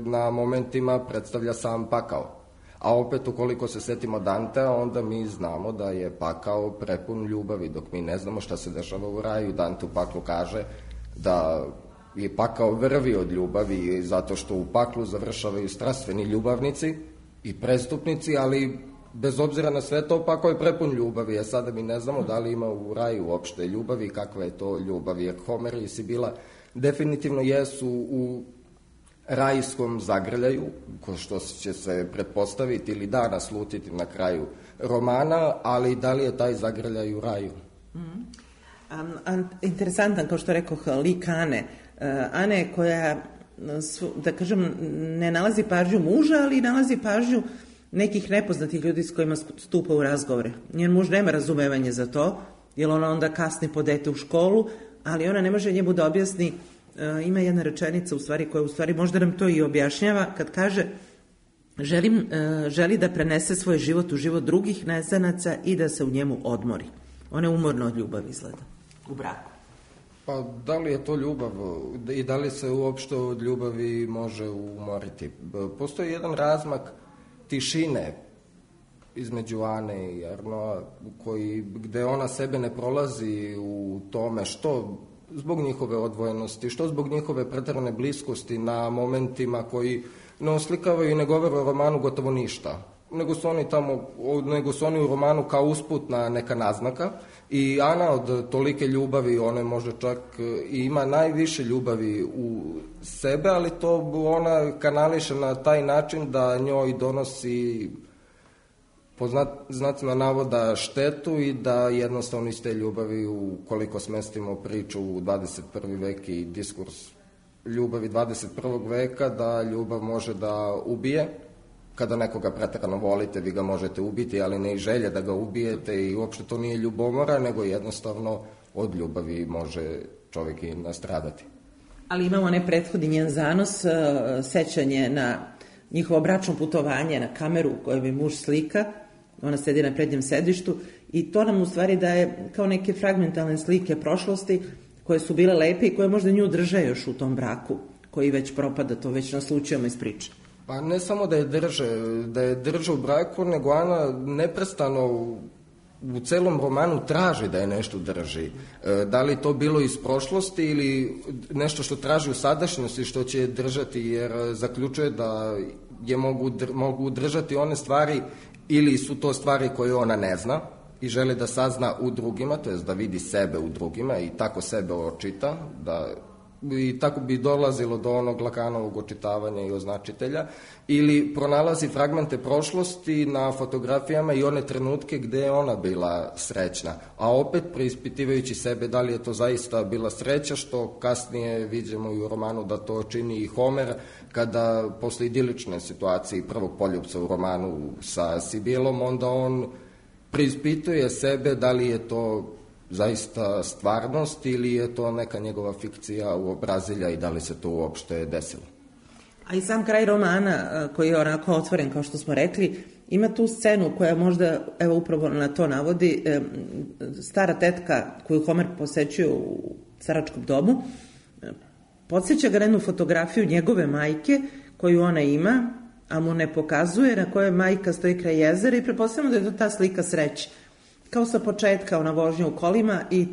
Speaker 7: na momentima predstavlja sam pakao. A opet, ukoliko se setimo Dantea, onda mi znamo da je pakao prepun ljubavi, dok mi ne znamo šta se dešava u raju. Dante u paklu kaže da je pakao vrvi od ljubavi, zato što u paklu završavaju strastveni ljubavnici i prestupnici, ali bez obzira na sve to, pakao je prepun ljubavi, a sada mi ne znamo da li ima u raju uopšte ljubavi, kakva je to ljubav, jer Homer i Sibila definitivno jesu u rajskom zagrljaju, ko što će se pretpostaviti ili da naslutiti na kraju romana, ali da li je taj zagrljaj u raju?
Speaker 1: Interesantan, kao što rekoh, lik Ane. Ane koja, da kažem, ne nalazi pažnju muža, ali nalazi pažnju nekih nepoznatih ljudi s kojima stupa u razgovore. Njen muž nema razumevanje za to, jer ona onda kasni po dete u školu, ali ona ne može njemu da objasni. Ima jedna rečenica koja u stvari možda nam to i objašnjava, kad kaže želi da prenese svoj život u život drugih nezanaca i da se u njemu odmori. Ona je umorna od ljubavi, izgleda, u braku.
Speaker 7: Pa da li je to ljubav i da li se uopšte od ljubavi može umoriti? Postoji jedan razmak tišine između Ane i Arnoa, gde ona sebe ne prolazi u tome što zbog njihove odvojenosti, što zbog njihove preterane bliskosti na momentima koji ne oslikavaju i ne govore o romanu gotovo ništa. Nego su oni u romanu kao usputna neka naznaka. I Ana od tolike ljubavi, ona možda čak i ima najviše ljubavi u sebe, ali to ona kanališe na taj način da njoj donosi po znacima navoda štetu i da jednostavno iz te ljubavi, ukoliko smestimo priču u 21. vek i diskurs ljubavi 21. veka, da ljubav može da ubije. Kada nekoga preterano volite, vi ga možete ubiti, ali ne i želje da ga ubijete i uopšte to nije ljubomora, nego jednostavno od ljubavi može čovjek i nastradati.
Speaker 1: Ali imamo onaj prethodni njen zanos, sećanje na njihovo bračno putovanje, na kameru koju mi muž slika, ona sedi na prednjem sedištu i to nam u stvari daje kao neke fragmentalne slike prošlosti koje su bile lepe i koje možda nju drže još u tom braku koji već propada, to već naslučujemo iz priče.
Speaker 7: Pa ne samo da je drže u braku, nego Ana neprestano u celom romanu traži da je nešto drži. Da li to bilo iz prošlosti ili nešto što traži u sadašnjosti što će držati, jer zaključuje da je mogu držati one stvari ili su to stvari koje ona ne zna i želi da sazna u drugima, to jest da vidi sebe u drugima i tako sebe očita, i tako bi dolazilo do onog Lakanovog očitavanja i označitelja, ili pronalazi fragmente prošlosti na fotografijama i one trenutke gde je ona bila srećna, a opet preispitivajući sebe da li je to zaista bila sreća, što kasnije vidimo i u romanu da to čini i Homer, kada posle idilične situacije prvog poljupca u romanu sa Sibilom, onda on preispituje sebe da li je to zaista stvarnost ili je to neka njegova fikcija uobrazilja i da li se to uopšte desilo.
Speaker 1: A i sam kraj romana, koji je onako otvoren, kao što smo rekli, ima tu scenu koja možda, evo upravo na to navodi, stara tetka koju Homer posećuje u staračkom domu, podsjeća ga na jednu fotografiju njegove majke koju ona ima, a mu ne pokazuje, na kojoj majka stoji kraj jezera i pretpostavljamo da je to ta slika sreće. Kao sa početka, ona vožnja u kolima i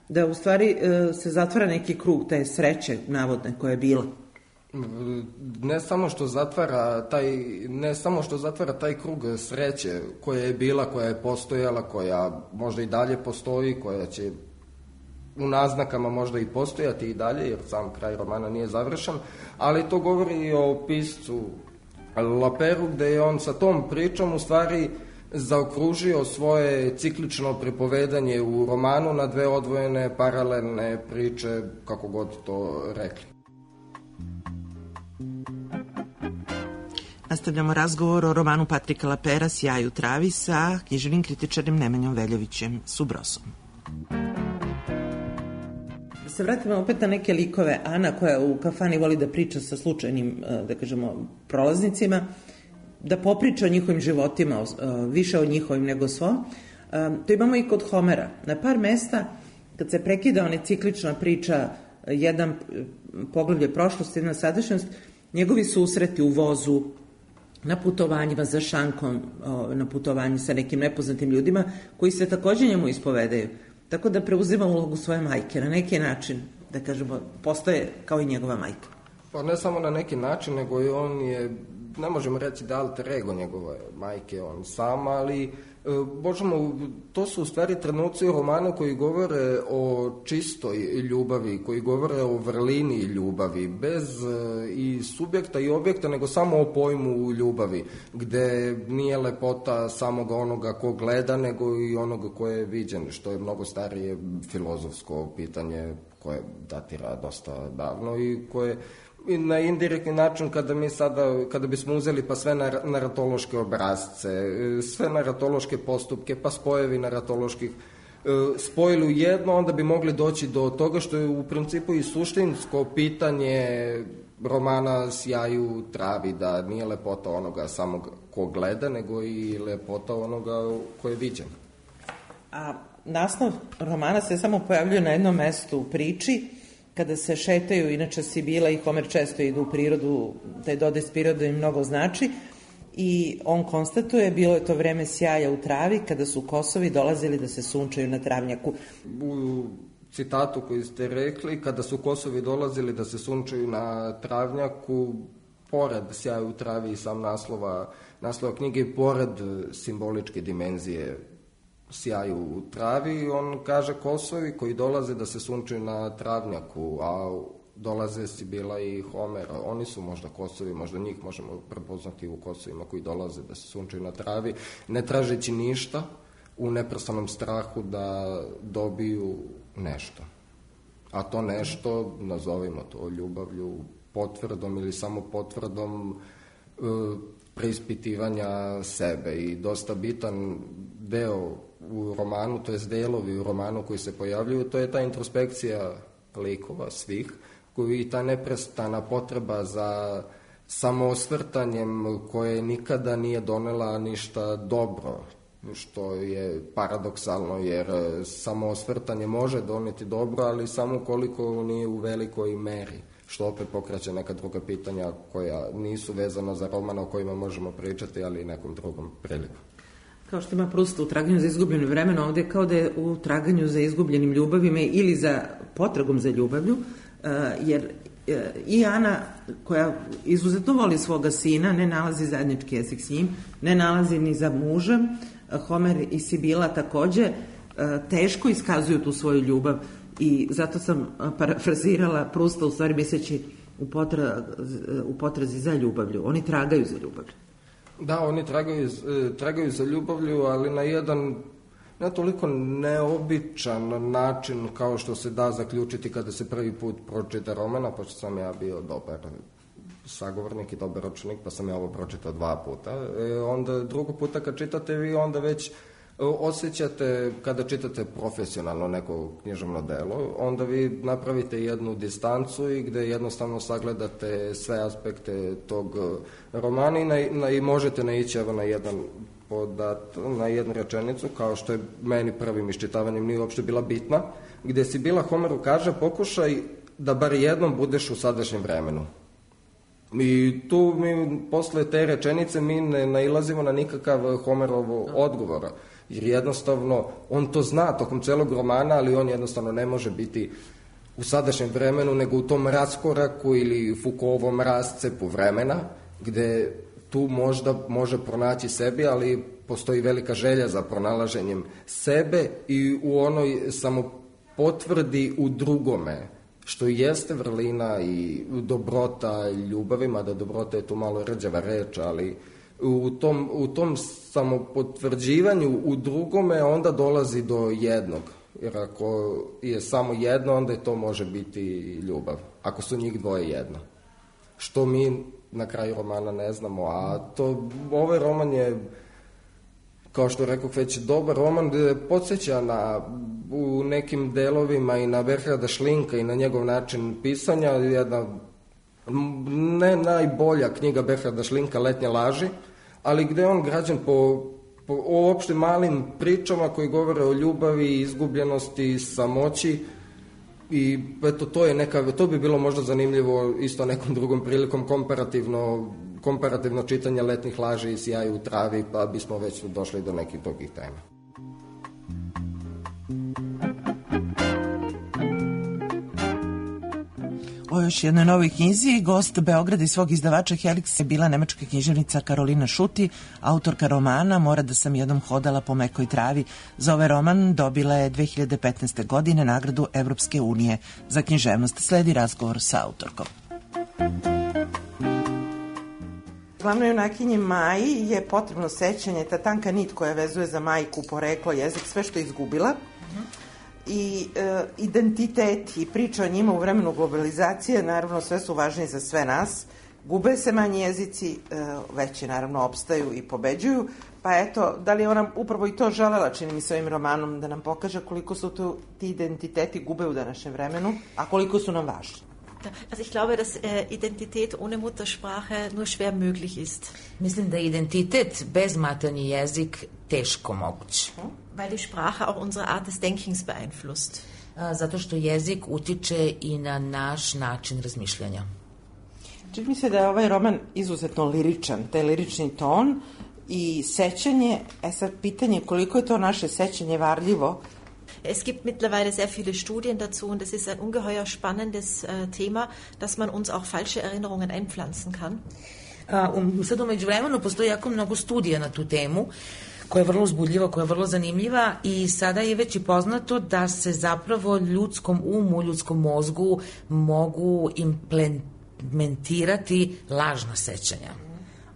Speaker 1: da u stvari se zatvara neki krug te sreće navodne koja je bila.
Speaker 7: Ne samo što zatvara taj krug sreće koja je bila, koja je postojala, koja možda i dalje postoji, koja će u naznakama možda i postojati i dalje, jer sam kraj romana nije završen, ali to govori i o piscu Laperu, gde je on sa tom pričom u stvari zaokružio svoje ciklično pripovedanje u romanu na dve odvojene paralelne priče, kako god to rekli.
Speaker 1: Nastavljamo razgovor o romanu Patrika Lapera Sjaj u travi sa književnim kritičarem Nemanjom Veljovićem Subrosom. Se vratimo opet na neke likove. Ana, koja u kafani voli da priča sa slučajnim, da kažemo, prolaznicima, da popriča o njihovim životima, više o njihovim nego svom. To imamo i kod Homera. Na par mesta, kad se prekida ona ciklična priča, jedan poglavlje prošlosti, jedna sadašnjost, njegovi susreti u vozu, na putovanjima za šankom, na putovanju sa nekim nepoznatim ljudima, koji se takođe njemu ispovedaju. Tako da preuzima ulogu svoje majke. Na neki način, da kažemo, postaje kao i njegova majka.
Speaker 7: Pa ne samo na neki način, nego i on je, ne možemo reći da alter ego njegove majke, on sam, ali to su u stvari trenuci u romanu koji govore o čistoj ljubavi, koji govore o vrlini ljubavi, bez i subjekta i objekta, nego samo o pojmu ljubavi, gde nije lepota samoga onoga ko gleda, nego i onoga ko je viđen, što je mnogo starije filozofsko pitanje koje datira dosta davno i koje i na indirektni način kada bismo uzeli pa sve naratološke obrazce, sve naratološke postupke, pa spojevi naratoloških spojili u jedno, onda bi mogli doći do toga što je u principu i suštinsko pitanje romana Sjaj u travi, da nije lepota onoga samog ko gleda, nego i lepota onoga ko je viđen.
Speaker 1: A naslov romana se samo pojavljuje na jednom mestu u priči, kada se šetaju, inače Sibila i Homer često idu u prirodu, taj dodaj s prirodom im mnogo znači, i on konstatuje, bilo je to vreme sjaja u travi, kada su kosovi dolazili da se sunčaju na travnjaku.
Speaker 7: U citatu koji ste rekli, kada su kosovi dolazili da se sunčaju na travnjaku, pored Sjaj u travi i sam naslova knjige i pored simboličke dimenzije Sjaj u travi, on kaže kosovi koji dolaze da se sunčaju na travnjaku, a dolaze Sibila i Homer. Oni su možda kosovi, možda njih možemo prepoznati u kosovima koji dolaze da se sunčaju na travi, ne tražeći ništa, u neprestanom strahu da dobiju nešto. A to nešto, nazovimo to ljubavlju, potvrdom ili samo potvrdom preispitivanja sebe. I dosta bitan deo u romanu, to jest delovi u romanu koji se pojavljuju, to je ta introspekcija likova svih, koji i ta neprestana potreba za samoosvrtanjem koje nikada nije donela ništa dobro, što je paradoksalno, jer samoosvrtanje može doneti dobro, ali samo koliko nije u velikoj meri, što opet pokreće neka druga pitanja koja nisu vezana za roman o kojima možemo pričati, ali i nekom drugom priliku.
Speaker 1: Kao što ima Prusta u Traganju za izgubljenim vremenom, ovde kao da je u Traganju za izgubljenim ljubavima ili za potragom za ljubavlju, jer i Ana, koja izuzetno voli svoga sina, ne nalazi zajednički jezik s njim, ne nalazi ni za mužem. Homer i Sibila takođe teško iskazuju tu svoju ljubav i zato sam parafrazirala Prusta, u stvari misleći u potrazi za ljubavlju. Oni tragaju za ljubavlju.
Speaker 7: Da, oni tragaju za ljubavlju, ali na jedan ne toliko neobičan način kao što se da zaključiti kada se prvi put pročita romana, pošto sam ja bio dobar sagovornik i dobar učenik, pa sam ja ovo pročitao 2 puta. Onda drugo puta kad čitate vi onda već osjećate, kada čitate profesionalno neko književno delo, onda vi napravite jednu distancu i gde jednostavno sagledate sve aspekte tog romana i možete naići na jedan na jednu rečenicu, kao što je meni prvim iščitavanjem nije uopšte bila bitna, gde Sibila Homeru kaže: pokušaj da bar jednom budeš u sadašnjem vremenu. I tu mi posle te rečenice mi ne nailazimo na nikakav Homerov odgovor, jer jednostavno on to zna tokom celog romana, ali on jednostavno ne može biti u sadašnjem vremenu, nego u tom raskoraku ili Foucaultovom rascepu vremena, gde tu možda može pronaći sebi, ali postoji velika želja za pronalaženjem sebe i u onoj samopotvrdi u drugome, što jeste vrlina i dobrota ljubavi, mada dobrota je tu malo rđava reč, ali u tom samopotvrđivanju u drugome onda dolazi do jednog. Jer ako je samo jedno, onda to može biti ljubav. Ako su njih dvoje jedno. Što mi na kraju romana ne znamo, a ovaj roman je, kao što rekoh, već dobar roman, gde podsjeća u nekim delovima i na Berharda Šlinka i na njegov način pisanja, jedna ne najbolja knjiga Berharda Šlinka, Letnje laži, ali gde on građen po uopšte malim pričama koji govore o ljubavi, izgubljenosti, samoći. I eto, to bi bilo možda zanimljivo isto nekom drugom prilikom komparativno čitanje Letnjih laži i Sjaj u travi, pa bismo već došli do nekih drugih tema.
Speaker 1: O još jednoj novoj knjizi, gost Beograda i svog izdavača Helix je bila nemačka književnica Karolina Šuti, autorka romana Mora da sam jednom hodala po mekoj travi. Za ovaj roman dobila je 2015. godine nagradu Evropske unije za književnost. Sledi razgovor sa autorkom. Glavnoj junakinji Maji je potrebno sećanje, ta tanka nit koja vezuje za majku, poreklo, jezik, sve što je izgubila. I identitet i priča o njima u vremenu globalizacije, naravno sve su važni za sve nas. Gube se manji jezici, veći naravno opstaju i pobeđuju, pa eto, da li je ona upravo i to želela, čini mi se ovim romanom, da nam pokaže koliko su ti identiteti gube u današnjem vremenu, a koliko su nam važni.
Speaker 8: Also ich glaube, dass Identität ohne Muttersprache nur schwer möglich ist.
Speaker 9: Mislim da identitet bez maternji jezik teško moguć.
Speaker 8: Weil die Sprache auch unsere Art des Denkens beeinflusst.
Speaker 9: Zato što jezik utiče i na naš način razmišljanja.
Speaker 1: Čini mi se da je ovaj roman izuzetno liričan, taj lirični ton i sećanje, sad pitanje koliko je to naše sećanje varljivo.
Speaker 8: Es gibt mittlerweile sehr viele Studien dazu und es ist ein ungeheuer spannendes Thema, dass man uns auch falsche Erinnerungen einpflanzen kann.
Speaker 9: Sad u međuvremenu postoji jako mnogo studija na tu temu koja je vrlo uzbudljiva, koja je vrlo zanimljiva i sada je već i poznato da se zapravo ljudskom umu, ljudskom mozgu mogu implementirati lažna sećanja.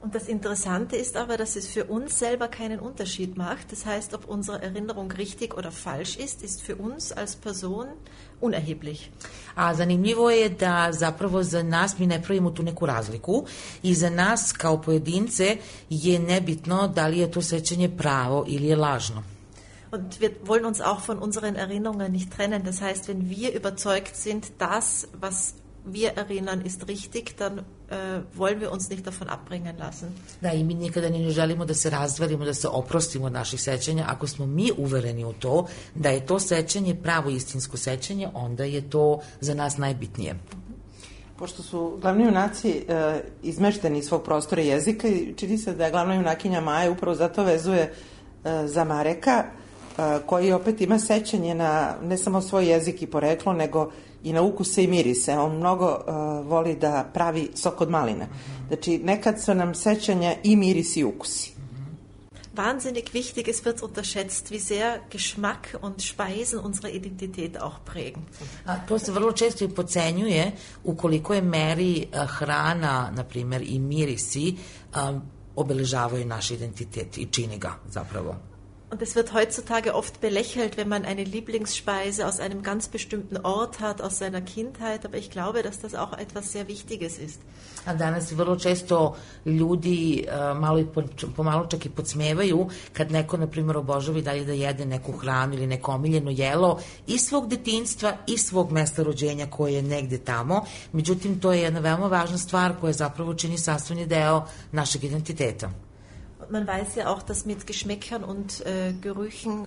Speaker 8: Und das Interessante ist aber, dass es für uns selber keinen Unterschied macht. Das heißt, ob unsere Erinnerung richtig oder falsch ist für uns als Person unerheblich.
Speaker 9: A zanimljivo je da zapravo za nas mi ne pravimo tu neku razliku i za nas kao pojedince je nebitno da li je to sećanje pravo ili je lažno.
Speaker 8: Und wir wollen uns auch von unseren Erinnerungen nicht trennen. Das heißt, wenn wir überzeugt sind, das, was wir erinnern, ist richtig, dann wollen wir uns nicht davon abbringen lassen.
Speaker 9: Da, i mi nikada ne želimo da se razdvelimo, da se oprostimo od naših sećanja. Ako smo mi uvereni u to da je to sećanje pravo istinsko sećanje, onda je to za nas najbitnije.
Speaker 1: Pošto su glavni junaci izmešteni iz svog prostora jezika, čini se da je glavna junakinja Maja upravo zato vezuje za Mareka, koji opet ima sećanje na ne samo svoj jezik i poreklo, nego i na ukuse i mirise. On mnogo voli da pravi sok od maline. Znači, nekad su nam sećanja i mirisi i ukusi.
Speaker 8: Wahnsinnig wichtig, es wird unterschätzt, wie sehr Geschmack und Speisen unsere Identität auch prägen.
Speaker 9: To se vrlo često i podcenjuje u kolikoj meri hrana, na primjer, i mirisi obeležavaju naš identitet i čini ga zapravo.
Speaker 8: Und es wird heutzutage oft belächelt, wenn man eine Lieblingsspeise aus einem ganz bestimmten Ort hat, aus seiner Kindheit, aber ich glaube, dass das auch etwas sehr Wichtiges ist.
Speaker 9: A danas vrlo često ljudi malo i pomalo čak i podsmevaju kad neko, na primjer, obožava i dalje da jede neku hranu ili neko omiljeno jelo iz svog detinjstva i svog mesta rođenja koje je negde tamo. Međutim, to je jedna veoma važna stvar koja zapravo čini sastavni deo našeg identiteta.
Speaker 8: Man weiß ja auch, dass mit Geschmäckern und Gerüchen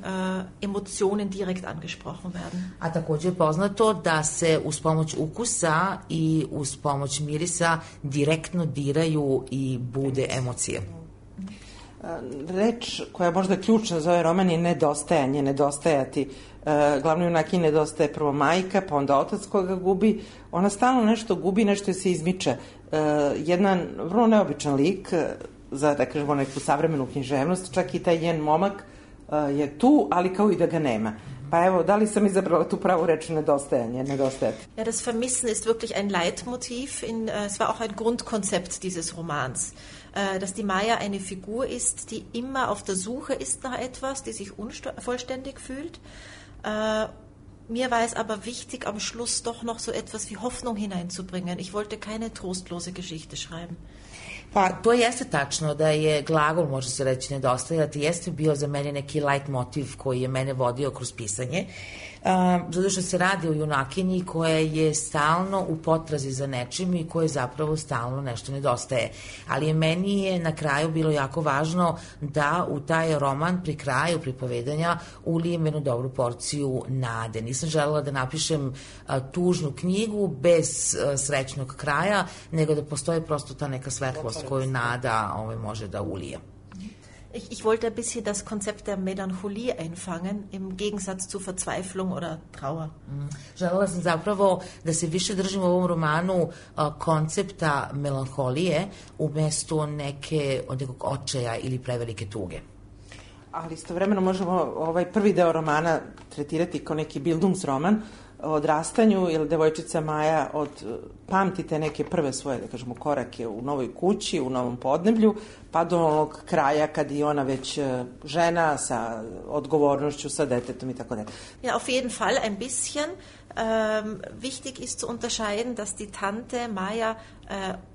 Speaker 8: Emotionen direkt angesprochen werden.
Speaker 9: A također je poznato da se uz pomoć ukusa i uz pomoć mirisa direktno diraju i bude emocije.
Speaker 1: Reč koja je možda ključna za ovaj roman je nedostajanje, nedostajati. Glavnoj junaki nedostaje prvo majka, pa onda otac koga gubi. Ona stalno nešto gubi, nešto se izmiče. Jedan vrlo neobičan lik za, da kažemo, neku savremenu književnost, čak i taj njen momak je tu, ali kao i da ga nema. Pa evo, da li sam izabrala tu pravu reč nedostajanje, nedostajati?
Speaker 8: Ja, das Vermissen ist wirklich ein Leitmotiv, es war auch ein Grundkonzept dieses Romans, dass die Maya eine Figur ist, die immer auf der Suche ist nach etwas, die sich unvollständig fühlt. Mir war es aber wichtig, am Schluss doch noch so etwas wie Hoffnung hineinzubringen. Ich wollte keine trostlose Geschichte schreiben.
Speaker 9: Pa to jeste tačno da je glagol, može se reći, nedostajati, jeste bio za mene neki light motiv koji je mene vodio kroz pisanje, zato što se radi o junakinji koja je stalno u potrazi za nečim i koje zapravo stalno nešto nedostaje. Ali meni je na kraju bilo jako važno da u taj roman pri kraju pripovedanja ulijem jednu dobru porciju nade. Nisam želela da napišem tužnu knjigu bez srećnog kraja, nego da postoji prosto ta neka svetlost koju nada može da ulije.
Speaker 8: Ich wollte ein bisschen das Konzept der Melancholie einfangen, im Gegensatz zu Verzweiflung oder Trauer.
Speaker 9: Želela sam zapravo da se više držim u ovom romanu koncepta melanholije umesto nekog očaja ili prevelike tuge.
Speaker 1: Ali istovremeno možemo ovaj prvi deo romana tretirati kao neki bildungsroman o odrastanju, jer devojčica Maja pamtite neke prve svoje, da kažemo, korake u novoj kući, u novom podneblju, pa do onog kraja kad je ona već žena sa odgovornošću, sa detetom i tako dalje.
Speaker 8: Ja, auf jeden Fall ein bisschen. Wichtig ist zu unterscheiden, dass die Tante Maja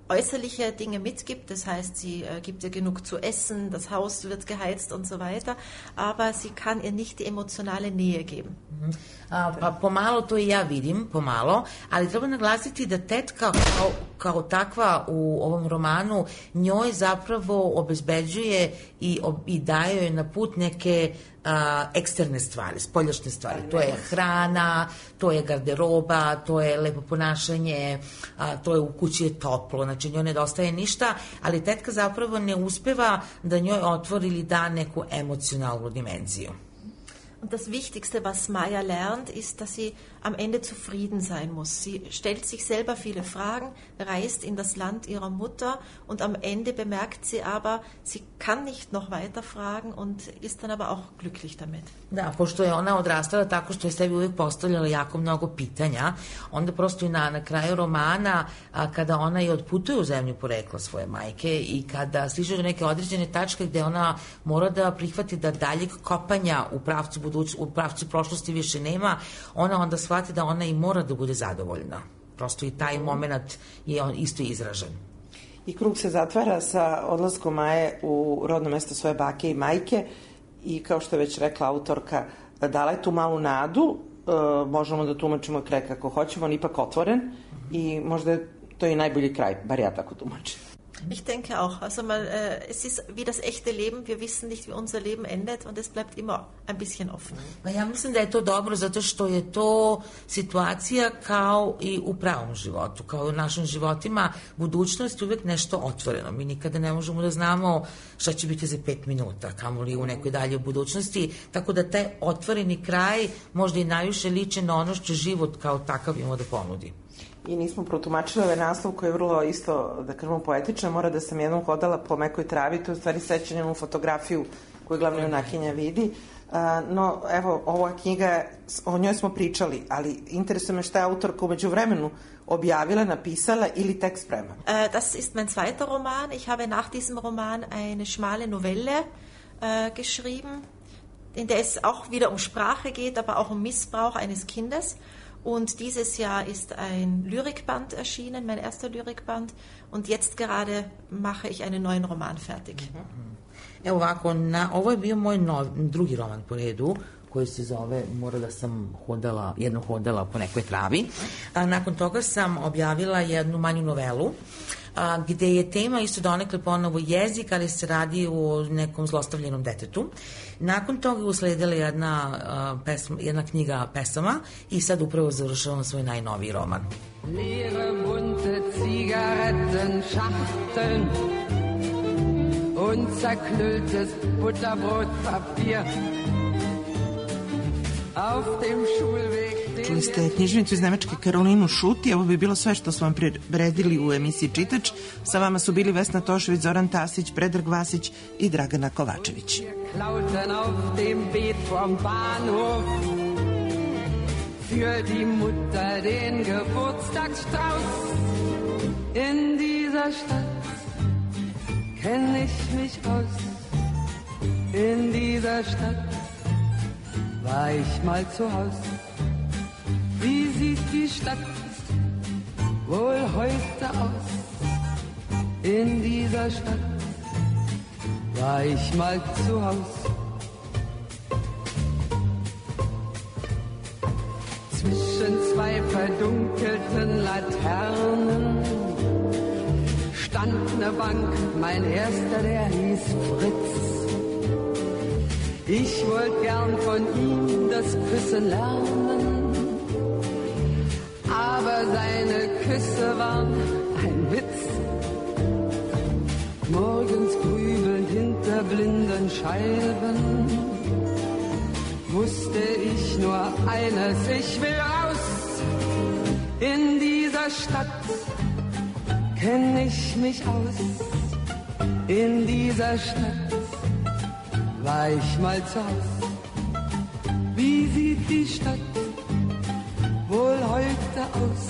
Speaker 8: äußerliche Dinge mitgibt, das heißt, sie gibt ihr genug zu essen, das Haus wird geheizt und so weiter, aber sie kann ihr nicht die emotionale Nähe geben.
Speaker 9: Pa pomalo to i ja vidim, pomalo, ali treba naglasiti da tetka kao takva u ovom romanu njoj zapravo obezbeđuje i daje joj na put neke eksterne stvari, spoljašnje stvari. To je hrana, to je garderoba, to je lepo ponašanje, to je u kući je toplo, znači njoj nedostaje ništa, ali tetka zapravo ne uspeva da njoj otvori ili da neku emocionalnu dimenziju.
Speaker 8: Und das Wichtigste, was Maya lernt, ist, dass sie am Ende zufrieden sein muss. Sie stellt sich selber viele Fragen, reist in das Land ihrer Mutter und am Ende bemerkt sie aber, sie kann nicht noch weiter fragen und ist dann aber auch glücklich damit.
Speaker 9: Da, pošto je ona odrastala tako što je sebi uvijek postavljala jako mnogo pitanja, onda prosto i na kraju romana, kada ona i odputuje u zemlju porekla svoje majke i kada stiže do neke određene tačke gde ona mora da prihvati da daljeg kopanja u pravcu prošlosti više nema, ona onda shvati da ona i mora da bude zadovoljna. Prosto i taj moment je on isto izražen.
Speaker 1: I krug se zatvara sa odlaskom Maje u rodno mesto svoje bake i majke i kao što je već rekla autorka, dala je tu malu nadu, možemo da tumačimo kraj kako hoćemo, on ipak otvoren i možda je to i najbolji kraj, bar ja tako tumačim.
Speaker 8: Ich denke auch. Also es ist wie das echte Leben. Wir wissen nicht, wie unser Leben endet und es bleibt immer ein bisschen offen.
Speaker 9: Pa ja mislim da je to dobro zato što je to situacija kao i u pravom životu, kao i u našim životima. Budućnost je uvek nešto otvoreno. Mi nikada ne možemo da znamo šta će biti za 5 minuta, kamoli u nekoj dalje budućnosti. Tako da taj otvoreni kraj možda i najviše liči na ono što život kao takav ima da ponudi.
Speaker 1: I nismo protumačili ovaj naslov koji je vrlo isto, da kažemo, poetičan. Mora da sam jednom hodala po mekoj travi, to je u stvari sećanje u fotografiju koju glavna junakinja vidi. No, evo, ova knjiga, o njoj smo pričali, ali interesuje me šta je autorka umeđu vremenu objavila, napisala ili tek sprema.
Speaker 8: Das ist mein zweiter Roman. Ich habe nach diesem Roman eine schmale Novelle geschrieben, in der es auch wieder um Sprache geht, aber auch um Missbrauch eines Kindes. Und dieses Jahr ist ein Lyrikband erschienen, mein erster Lyrikband. Und jetzt gerade mache ich einen neuen Roman fertig.
Speaker 9: Evo ovako, ovo je bio moj drugi roman po redu, koji se zove Mora da sam jednom hodala po nekoj travi. Nakon toga sam objavila jednu manju novelu, gde je tema isto donekle ponovo jezik, ali se radi o nekom zlostavljenom detetu. Nakon toga je usledila jedna knjiga pesama i sad upravo završavam svoj najnoviji roman.
Speaker 10: Leere bunte Zigarettenschachteln und zerknülltes Butterbrotpapier auf dem Schulweg.
Speaker 1: Čuli ste knjižnicu iz Nemačke Karolinu Šuti. Ovo bi bilo sve što smo vam priredili u emisiji Čitač. Sa vama su bili Vesna Tošević, Zoran Tasić, Predrag Vasić i Dragana Kovačević.
Speaker 10: Klauten auf dem Beet vom Bahnhof für die Mutter den Geburtstagsstrauß. In dieser Stadt kenn ich mich aus. In dieser Stadt war ich mal zu Haus. Wie sieht die Stadt wohl heute aus? In dieser Stadt war ich mal zu Haus. Zwischen zwei verdunkelten Laternen stand ne Bank, mein erster, der hieß Fritz. Ich wollte gern von ihm das Küssen lernen, aber seine Küsse waren ein Witz. Morgens grübelnd hinter blinden Scheiben wusste ich nur eines, ich will raus. In dieser Stadt kenn ich mich aus. In dieser Stadt war ich mal zu Haus. Wie sieht die Stadt wohl heute aus?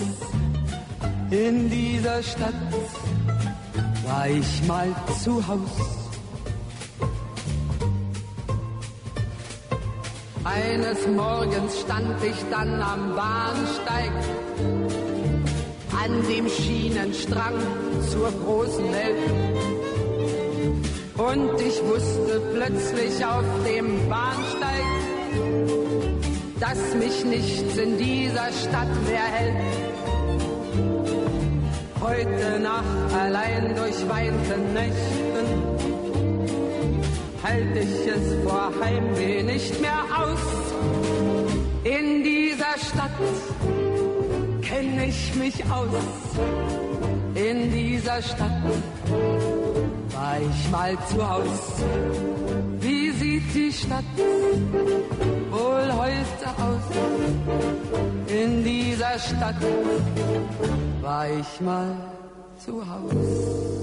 Speaker 10: In dieser Stadt war ich mal zu Haus. Eines Morgens stand ich dann am Bahnsteig, an dem Schienenstrang zur großen Welt. Und ich wusste plötzlich auf dem Bahnsteig, dass mich nichts in dieser Stadt mehr hält. Heute Nacht allein durch weite Nächten halte ich es vor Heimweh nicht mehr aus. In dieser Stadt kenn ich mich aus. In dieser Stadt war ich mal zu Haus. Wie sie sieht die Stadt wohl heute aus? In dieser Stadt war ich mal zu Haus.